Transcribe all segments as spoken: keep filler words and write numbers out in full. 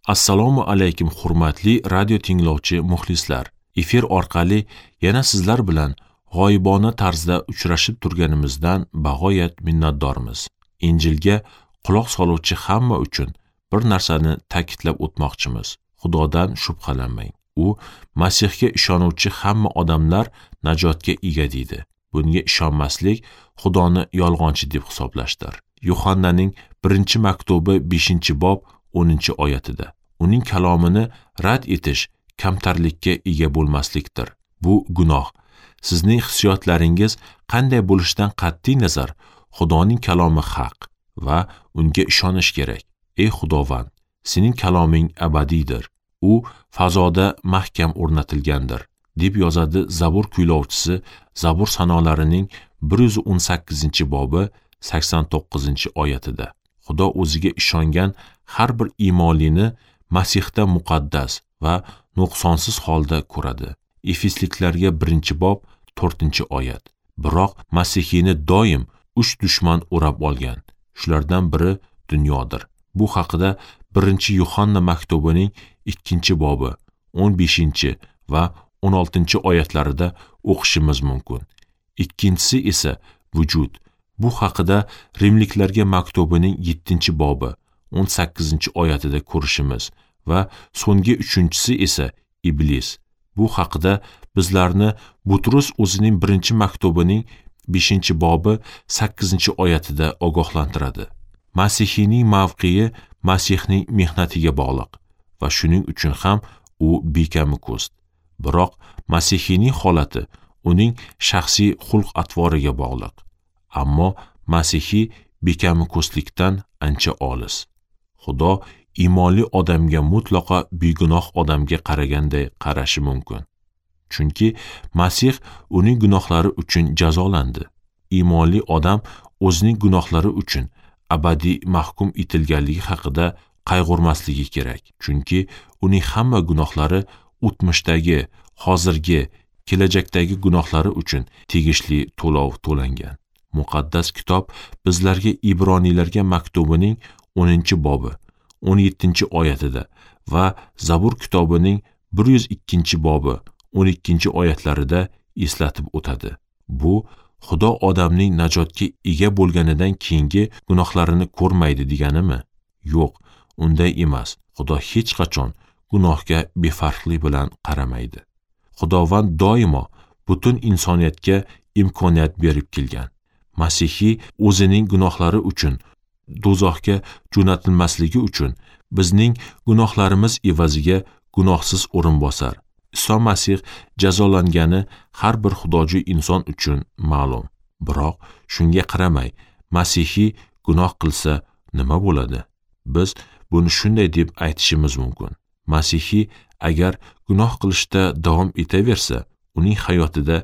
Assalomu alaykum hurmatli radio tinglovchi muxlislar. Efir orqali yana sizlar bilan g'oyibona tarzda uchrashib turganimizdan bag'oyat minnatdormiz. Injilga quloq soluvchi hamma uchun bir narsani ta'kidlab o'tmoqchimiz. Xudodan shubhalanmang. U Masihga ishonuvchi hamma odamlar najotga ega deydi. Bunga ishonmaslik Xudoni yolg'onchi deb hisoblashdir. Yuhannaning birinchi maktubi beshinchi bob o'ninchi oyatida. Uning kalomini rad etish kamtarlikka ega bo'lmaslikdir. Bu gunoh. Sizning hissiyotlaringiz qanday bo'lishidan qat'iy nazar, Xudoning kalomi haq va unga ishonish kerak. Ey Xudovand, sening kaloming abadiydir. U fazoda mahkam o'rnatilgandir, deb yozadi Zabur kuylovchisi Zabur sanolarining bir yuz o'n sakkizinchi bobi sakson to'qqizinchi oyatida. Xudo o'ziga ishongan har bir iymonlini Masihda muqaddas va nuqsonsiz holda ko'radi. Efesliklarga birinchi bob to'rtinchi oyat. Biroq Masihiyni doim uch dushman o'rab olgan. Shulardan biri dunyodir. Bu haqida birinchi Yuhanna maktubining ikkinchi bobi o'n beshinchi va o'n oltinchi oyatlarida o'qishimiz mumkin. Ikkinchisi esa vujud. Bu haqida Rimliklarga maktubining yettinchi bobi o'n sakkizinchi oyatida ko'rishimiz va so'nggi uchinchisi esa iblis. Bu haqida bizlarni Butrus o'zining birinchi maktubining beshinchi bobi sakkizinchi oyatida ogohlantiradi. Masihiyning mavqei Masihning mehnatiga bog'liq va shuning uchun ham u bekami ko'st. Biroq Masihiyning holati uning shaxsiy xulq-atvoriga bog'liq. Ammo Masihiy bekami ko'stlikdan ancha olis. Xudo iymonli odamga mutlaqo begunoh odamga qaraganday qarashi mumkin. Chunki Masih uning gunohlari uchun jazolandi. Iymonli odam o'zining gunohlari uchun abadiy mahkum etilganligi haqida qayg'urmasligi kerak. Chunki uning hamma gunohlari o'tmishdagi, hozirgi, kelajakdagi gunohlari uchun tegishli to'lov to'langan. Muqaddas kitob bizlarga Ibroniylarga maktubining o'ninchi bobi o'n yettinchi oyatida va Zabur kitobining bir yuz ikkinchi bobi o'n ikkinchi oyatlarida eslatib o'tadi. Bu Xudo odamning najotga ega bo'lganidan keyingi gunohlarini ko'rmaydi deganimi? Yo'q, unday emas. Xudo hech qachon gunohga befarqlik bilan qaramaydi. Xudovand doimo butun insoniyatga imkoniyat berib kelgan. Masihiy o'zining gunohlari uchun do'zaxga jo'natilmasligi uchun bizning gunohlarimiz evaziga gunohsiz o'rinbosar Iso Masih jazolangani har bir xudojo'y inson uchun ma'lum. Biroq shunga qaramay Masihiy gunoh qilsa nima bo'ladi? Biz buni shunday deb aytishimiz mumkin. Masihiy agar gunoh qilishda davom etaversa, uning hayotida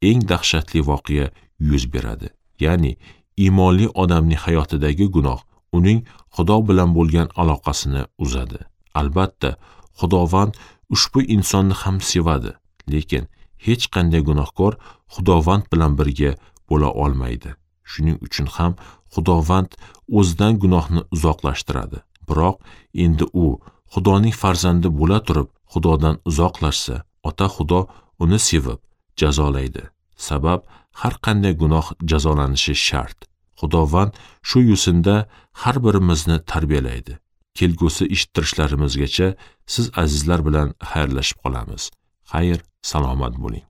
eng dahshatli voqea yuz beradi. Ya'ni iymonli odamning hayotidagi gunoh uning Xudo bilan bo'lgan aloqasini uzadi. Albatta, Xudovand ushbu insonni ham sevadi, lekin hech qanday gunohkor Xudovand bilan birga bo'la olmaydi. Shuning uchun ham Xudovand o'zidan gunohni uzoqlashtiradi. Biroq endi u Xudoning farzandi bo'la turib Xudodan uzoqlashsa, Ota Xudo uni sevib jazolaydi. Sabab har qanday gunoh jazolanishi shart. Xudovand shu yo'sinda har birimizni tarbiyalaydi. Kelgusi eshittirishlarimizgacha siz azizlar bilan xayrlashib qolamiz. Xayr, salomat bo'ling.